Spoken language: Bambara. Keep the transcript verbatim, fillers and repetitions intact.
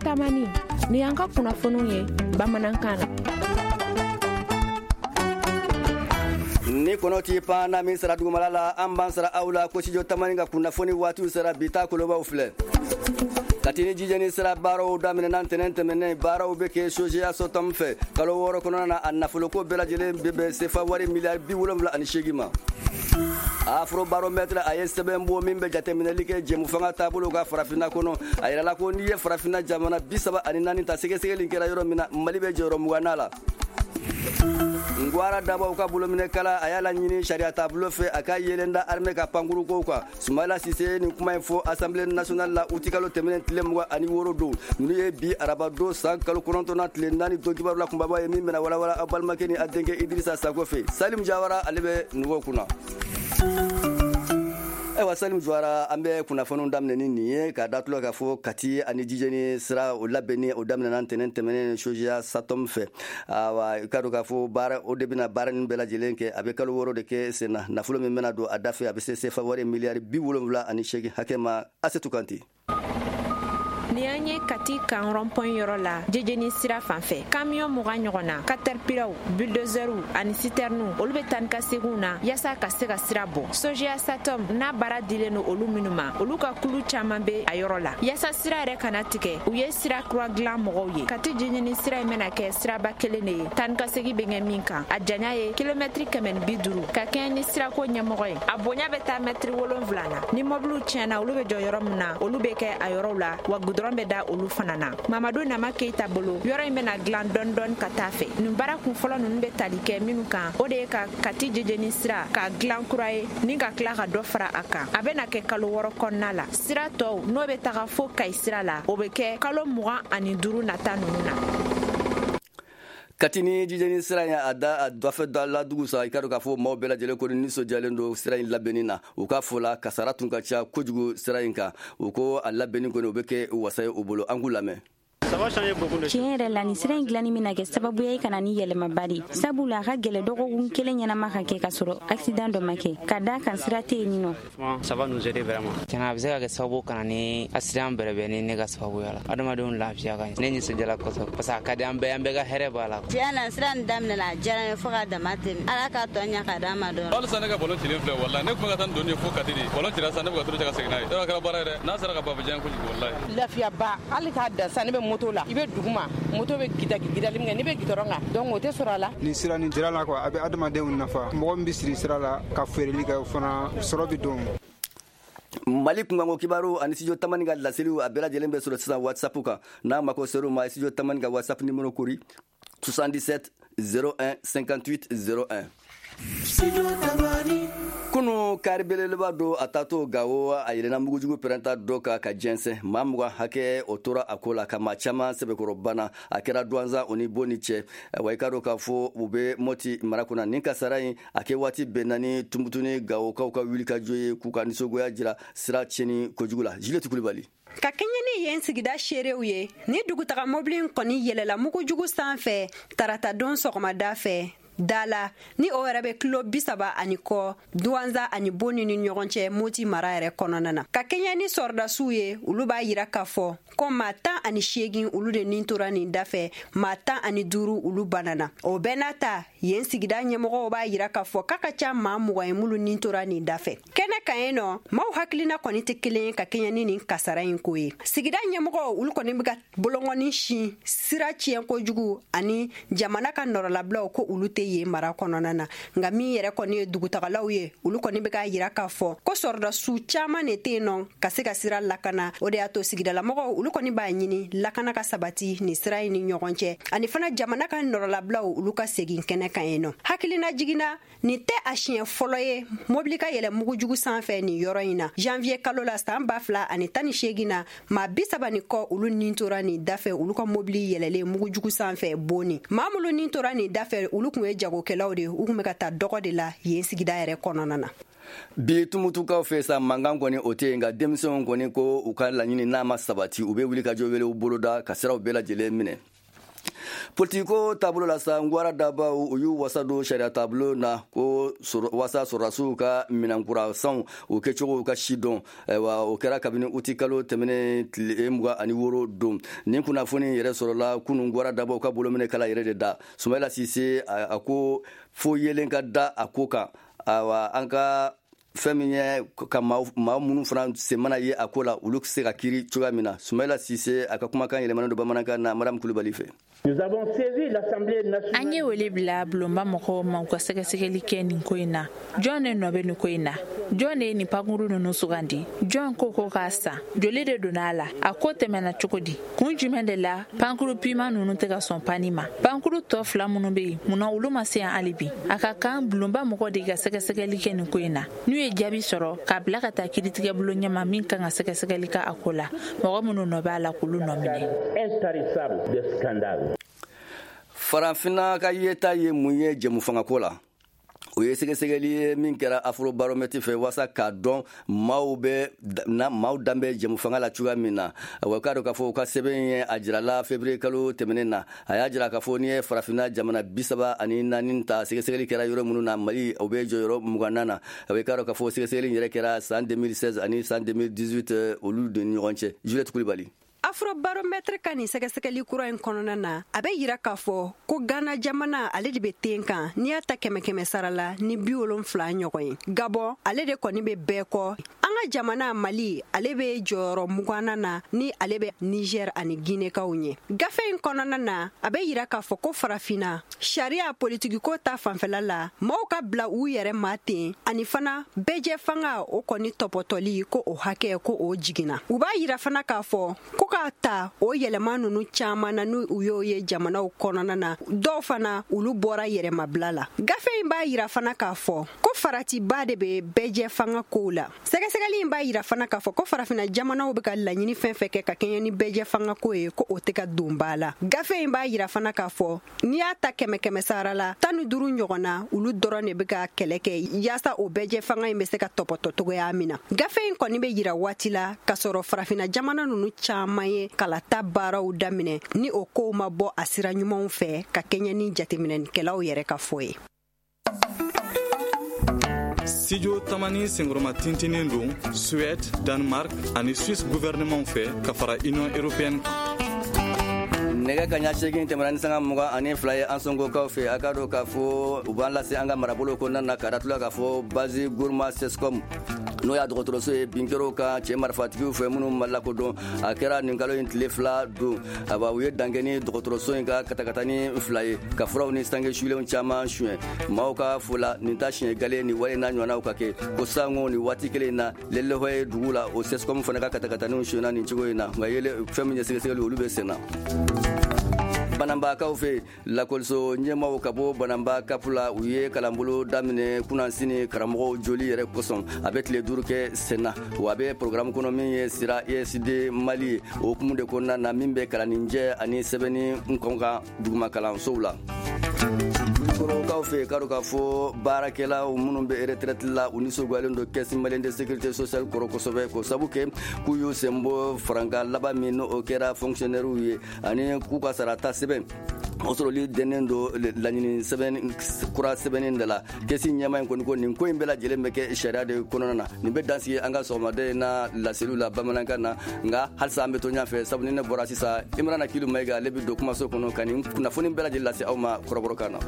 Tamani, ni y'an ka kunnafoniw ye bamanankan na. Ni kɔnɔ t'i pan na min sara dugumala la, an b'an sara aw la ko Studio Tamani ka kunnafoni waatiw sera. Bi ta kolobaw filɛ. Kati ni Jijeni sira baaraw daminɛna ntɛnɛn tɛmɛnen. Baaraw bɛ kɛ Sogea Sotam fɛ kalo wɔɔrɔ kɔnɔna na. A nafoloko bɛɛ lajɛlen bɛ bɛn sefa wari miliyari bi wolonwula ani seegin ma. Afrobaromètre a ye sɛbɛn bɔ min bɛ jateminɛli kɛ jɛmufanga taabolo ka farafinna kɔnɔ. A yirala ko n'i ye farafinna jamana bi saba ani naani ta, sɛgɛsɛgɛli kɛra yɔrɔ min na, Mali bɛ jɔyɔrɔ mugan la. Ngwara dabaw ka bolominɛkala a y'a laɲini sariya taabolo fɛ, a ka yelen da armée ka pankurukow kan. Sumayila Sise ye nin kuma in fɔ Assemblée nationale la utikalo tɛmɛnen tile mugan ani wɔɔrɔ don. Ninnu ye bi araba don san kalo kɔnɔntɔnna tile naani don kibaru la kunbaba ye min bɛna walawala aw balimakɛ ni a denkɛ Idirisa Sako fɛ. Salim Jawara, ale bɛ nɛgɛw kunna. Ayiwa Salim Jawara, an bɛ kunnafoniw daminɛ ni nin ye ka da tulo k'a fɔ Kati ani Jijeni sira o labɛnni o daminɛna ntɛnɛn tɛmɛnen Sogea Satom fɛ. Awa, i ka dɔn k'a fɔ baara o de bɛna baara nin bɛɛ lajɛlen kɛ. A bɛ kalo wɔɔrɔ de kɛ sen na. Nafolo min bɛna don a da fɛ, a bɛ se sefa wari miliyari bi wolonwula ani seegin hakɛ ma. Asetu Kante. Ni an ye Kati kan rond-point yɔrɔ la, Jejeni sira fan fɛ, kamiyɔn mugan ɲɔgɔn na, caterpillarw, bulldozerw ani citernew, olu bɛ taa ni ka seginw na yaasa ka se ka sira bɔ. Sogea Satom n'a baara dilen don olu minnu ma, olu ka kulu caman bɛ a yɔrɔ la yaasa sira yɛrɛ kana tigɛ. U ye sira kura dilan mɔgɔw ye. Kati Jejeni sira in bɛna kɛ siraba kelen de ye taa ni ka segin bɛ kɛ min kan. A janya ye kilomɛtiri kɛmɛ ni bi duuru. Ka kɛɲɛ ni sirako ɲɛmɔgɔ ye, a bonya bɛ taa mɛtiri wolonfila na. Ni mɔbiliw tiɲɛna, olu bɛ jɔ yɔrɔ min na, olu bɛ kɛ a yɔrɔw la, wa gudɔrɔn bɛ da olu fana na. Mamadu Nama Keyita bolo, yɔrɔ in bɛna dilan dɔɔni dɔɔni ka taa fɛ. Nin baara kun fɔlɔ ninnu bɛ tali kɛ minnu kan, o de ye ka Kati Jejeni sira ka dilan kura ye ni ka tila ka dɔ fara a kan. A bɛna kɛ kalo wɔɔrɔ kɔnɔna la. Sira tɔw n'o bɛ taga fo Kayi sira la, o bɛ kɛ kalo mugan ani duuru nata ninnu na. Kati ni Jijeni sira in, a da a dafɛ da ladugu sa, i ka dɔn k'a fɔ maaw bɛɛ lajɛlen ko nisɔndiyalen don sira in labɛnni na. U ka fɔ la, kasara tun ka ca kojugu sira in kan. U ko a labɛnni kɔni, o bɛ kɛ wasa ye u bolo. An k'u lamɛn. Tiɲɛ yɛrɛ la, nin sira in dilanni bɛna kɛ sababuya ye ka na ni yɛlɛmaba de, sabula a ka gɛlɛ dɔgɔkun kelen ɲɛnama ka kɛ ka sɔrɔ accident dɔ ma kɛ, ka da kan sira tɛ yen nɔ. Tiɲɛna, a bɛ se ka kɛ sababu kana ni accident bɛrɛbɛn ni ne ka sababuya la, adamadenw lafiya ka ɲi. Ne nisɔndiyala kosɛbɛ parce que a ka di an bɛɛ, an bɛɛ ka hɛrɛ b'a la. Tiɲɛ na, sira nin daminɛna, a diyara n ye fo ka dama tɛmɛ. Ala ka tɔ ɲɛ ka d'an ma dɔrɔn. Halisa ne ka ballon cilen filɛ. Walahi, ne tun bɛ ka taa ni doni ye fo Kati de. Ballon cira sisan, ne bɛ ka turu cɛ ka segin n'a ye. Yɔrɔ a kɛra baara ye dɛ. N'a sera ka ban, a bɛ diya n ye kojugu, walahi. Lafiyaba, hali k'a dan sisan, ne bɛ moto la, i bɛ duguma, moto bɛ gida gidali min kɛ, n'i bɛ gidɔrɔn kan, donc o tɛ sɔrɔ a la. Nin sira nin jira la quoi, a bɛ adamadenw nafa. Mɔgɔ min bɛ siri sira la ka feereli kɛ, o fana sɔrɔ bɛ don. Mali kunkanko kibaru ani Studio Tamani ka laseliw, a bɛɛ lajɛlen bɛ sɔrɔ sisan WhatsApp kan. N'a mako ser'u ma, Studio Tamani ka WhatsApp numéro kori soixante-dix-sept zéro un cinquante-huit zéro un. Kunu, kari belebeleba don a taatɔ Gawo, a yɛlɛnna mugujugu pɛrɛnta dɔ kan ka jɛnsɛn. Maa mugan hakɛ o tora a ko la, ka maa caman sɛbɛkɔrɔ banna. A kɛra Duwanza o ni Boni cɛ. Wa i ka dɔn k'a fɔ u bɛ Mɔti mara kunna. Nin kasara in a kɛ waati bɛnna ni Tumutu ni Gawokaw ka wulikajɔ ye k'u ka nisɔngoya jira sira tiɲɛni kojugu la. Juliette Kulibali. Ka kɛɲɛ ni yen sigida seerew ye, ni dugutaga mobili kɔni yɛlɛla mugujugu sanfɛ tarata don sɔgɔmada fɛ da la, ni o yɛrɛ bɛ kilo bi saba ani kɔ Duwanza ani Boni ni ɲɔgɔn cɛ, Moti mara yɛrɛ kɔnɔna na. Ka kɛɲɛ ni sɔrɔdasiw ye, olu b'a yira k'a fɔ ko maa tan ani seegin, olu de nin tora nin dafɛ, maa tan ani duuru, olu banana. O bɛɛ n'a ta, yen sigida ɲɛmɔgɔw b'a yira k'a fɔ k'a ka ca maa mugan ye minnu nin tora nin dafɛ. Kɛnɛ kan yen nɔ, maaw hakilina kɔni tɛ kelen ye ka kɛɲɛ ni nin kasara in ko ye. Sigida ɲɛmɔgɔw, olu kɔni bɛ ka bolongɔni sin sira tiɲɛ kojugu ani jamana ka nɔrɔlabilaw, ko olu tɛ yen mara kɔnɔna na. Nka min yɛrɛ kɔni ye dugutagalaw ye, olu kɔni bɛ k'a yira k'a fɔ ko sɔrɔdasiw caman de tɛ yen nɔ ka se ka sira lakana. O de y'a to sigidalamɔgɔw, olu kɔni b'a ɲini lakana ka sabati nin sira in ni ɲɔgɔn cɛ, ani fana jamana ka nɔrɔlabilaw, olu ka segin kɛnɛ kan yen nɔ. Hakilina jiginna, nin tɛ a siɲɛ fɔlɔ ye mobili ka yɛlɛ mugujugu sanfɛ nin yɔrɔ in na. Janvier kalo la san ba fila ani tan ni seegin na, maa bi saba ni kɔ, olu nin tora nin dafɛ, olu ka mobili yɛlɛlen mugujugu sanfɛ Boni. Maa minnu nin tora nin dafɛ, olu kun ye jagokɛlaw de ye, u kun bɛ ka taa dɔgɔ de la yen sigida yɛrɛ kɔnɔna na. Bi Tumutukaw fɛ sa, mankan kɔni o tɛ yen, nka denmisɛnw kɔni ko u ka laɲini n'a ma sabati, u bɛ wuli ka jɔ wele boloda ka siraw bɛɛ lajɛlen minɛ. Politiko taabolo la sa, Ngwara dabaw u y'u wasa don sariya taabolo na ko wasa sɔrɔdasiw ka minɛnkura sanw o kɛcogo ka si dɔn. Ayiwa, o kɛra kabini uti kalo tɛmɛnen tile mugan ani wɔɔrɔ don. Nin kunnafoni yɛrɛ sɔrɔla kunun Ngwara dabaw ka bolominɛ kala yɛrɛ de da. Sumayila Sise a ko fo yelen ka da a ko kan. Ayiwa, an ka fɛn min ye ka maa minnu fana sen mana ye a ko la, olu se ka kiiri cogoya min na. Sumayila Sise a ka kumakan yɛlɛmana don bamanankan na Madamu Kulubali fɛ. An ye wele bila bulonba mɔgɔw ma u ka sɛgɛsɛgɛli kɛ nin ko in na. Jɔn de nɔ bɛ nin ko in na? Jɔn de ye nin pankuru ninnu sugandi? Jɔn ko ko k'a san? Joli de donna a la? A ko tɛmɛna cogo di? Kun jumɛn de la pankuru piman ninnu tɛ ka sɔn panni ma? Pankuru tɔ fila minnu bɛ yen, munna olu ma se yan hali bi? A ka kan bulonba mɔgɔw de ka sɛgɛsɛgɛli kɛ nin ko in na. N'u ye jaabi sɔrɔ, k'a bila ka taa kiiritigɛbulon ɲɛma min kan ka sɛgɛsɛgɛli kɛ a ko la, mɔgɔ minnu nɔ b'a la k'olu nɔ minɛ. Farafinna ka yeta ye mun ye jɛmufangako la? O ye sɛgɛsɛgɛli ye min kɛra Afrobaromètre fɛ walasa k'a dɔn maaw bɛ na maaw danbɛ jɛmufanga la cogoya min na. Wa k'a dɔn k'a fɔ u ka sɛbɛn ye a jirala février kalo tɛmɛnen na. A y'a jira k'a fɔ n'i ye farafinna jamana bi saba ani naani ta, sɛgɛsɛgɛli kɛra yɔrɔ minnu na, Mali o bɛ jɔyɔrɔ mugan na. A bɛ k'a dɔn k'a fɔ sɛgɛsɛgɛli yɛrɛ kɛra san deux mille seize ani san deux mille dix-huit olu de ni ɲɔgɔn cɛ. Juliette Kulibali. Afrobaromètre ka nin sɛgɛsɛgɛli kura in kɔnɔna na, a bɛ yira k'a fɔ ko Ghana jamana ale de bɛ ten kan n'i y'a ta kɛmɛ kɛmɛ sara la ni bi wolonfila ɲɔgɔn ye. Gabon ale de kɔni bɛ bɛɛ kɔ. An ka jamana Mali ale bɛ jɔyɔrɔ muganna na ni ale bɛ Niger ani Guinée-kaw ɲɛ. Gafe in kɔnɔna na, a bɛ yira k'a fɔ ko farafinna sariya politikiko ta fanfɛla la, maaw ka bila u yɛrɛ ma ten, ani fana bɛɛjɛ fanga o kɔni tɔpɔtɔli ko o hakɛ ko o jiginna. U b'a yira fana k'a fɔ ko k'a ta o yɛlɛma ninnu caman na n'u y'o ye jamanaw kɔnɔna na, dɔw fana olu bɔra yɛrɛmabila la. Gafe in b'a yira fana k'a fɔ ko faratiba de bɛ bɛɛjɛ fanga kow la. Sɛgɛsɛgɛli in b'a yira fana k'a fɔ ko farafinna jamanaw bɛ ka laɲini fɛn fɛn kɛ ka kɛɲɛ ni bɛɛjɛ fanga ko ye, ko o tɛ ka don ba la. Gafe in b'a yira fana k'a fɔ n'i y'a ta kɛmɛ kɛmɛ sara la tan ni duuru ɲɔgɔn na, olu dɔrɔn de bɛ ka kɛlɛ kɛ yaasa o bɛɛjɛ fanga in bɛ se ka tɔpɔtɔ cogoya min na. Gafe in kɔni bɛ yira waati la k'a sɔrɔ farafinna jamana ninnu caman ye kalata baaraw daminɛ ni o kow ma bɔ a sira ɲumanw fɛ ka kɛɲɛ ni jateminɛnikɛlaw yɛrɛ ka fɔ ye. Studio Tamani senkɔrɔma tintinen don Suède, Danemark ani Suisse gouvernement fɛ ka fara Union européenne kan. Nɛgɛ kaɲa seegin tɛmɛna ni sanga mugan ani fila ye an sɔngokaw fɛ. A k'a dɔn k'a fɔ u b'an lase an ka marabolo kɔnɔna na ka datula k'a fɔ base Gourma Sescom n'o y'a dɔgɔtɔrɔso ye, bin kɛra o kan cɛ marifatigiw fɛ minnu ma lakodɔn. A kɛra nin kalo in tile fila don. Awa, u ye dankɛ ni dɔgɔtɔrɔso in ka katakatani fila ye ka furaw ni sange sulenw caman suɲɛ. Maaw ka fo la, nin ta siɲɛ gale ni wale n'a ɲɔgɔnnaw ka kɛ ko sango nin waati kelen in na Lelehɔ ye dugu la, o Sescom fana ka katakataniw suɲɛna nin cogo in na. Nka yele fɛn min ye sɛgɛsɛgɛli olu bɛ sen na. Banambakaw fɛ, lakɔliso ɲɛmaw ka bɔ Banamba kapu la, u ye kalanbolo daminɛ kunnasini karamɔgɔw joli yɛrɛ kosɔn. A bɛ tile duuru kɛ sen na, wa a bɛ programme kɔnɔ min ye sira E S D Mali ye, o hukumu de kɔnɔna na min bɛ kalanninjɛ ani sɛbɛnni kɔn kan duguma kalansow la. Kɔrɔkaw fɛ, k'a dɔn k'a fɔ baarakɛlaw minnu bɛ retraite la, u nisɔngoyalen don Caisse malienne de sécurité sociale kɔrɔ kosɛbɛ, k'o sabu kɛ k'u y'u sen bɔ farankan laban min n'o kɛra fonctionnaire ye, ani k'u ka sarata sɛbɛn o sɔrɔli dɛnnen don laɲini sɛbɛn kura sɛbɛnni de la. Caisse ɲɛmaa in kɔni ko nin ko in bɛɛ lajɛlen bɛ kɛ sariya de kɔnɔna na. Nin bɛ dansigi an ka sɔgɔmada in na laseliw la bamanankan na, nka halisa an bɛ to ɲɛfɛ, sabu ni ne bɔra sisan, Imrana Kilu Mayiga ale bɛ don kumaso kɔnɔ ka nin kunnafoni bɛɛ lajɛlen lase aw ma kɔrɔbɔrɔkan na.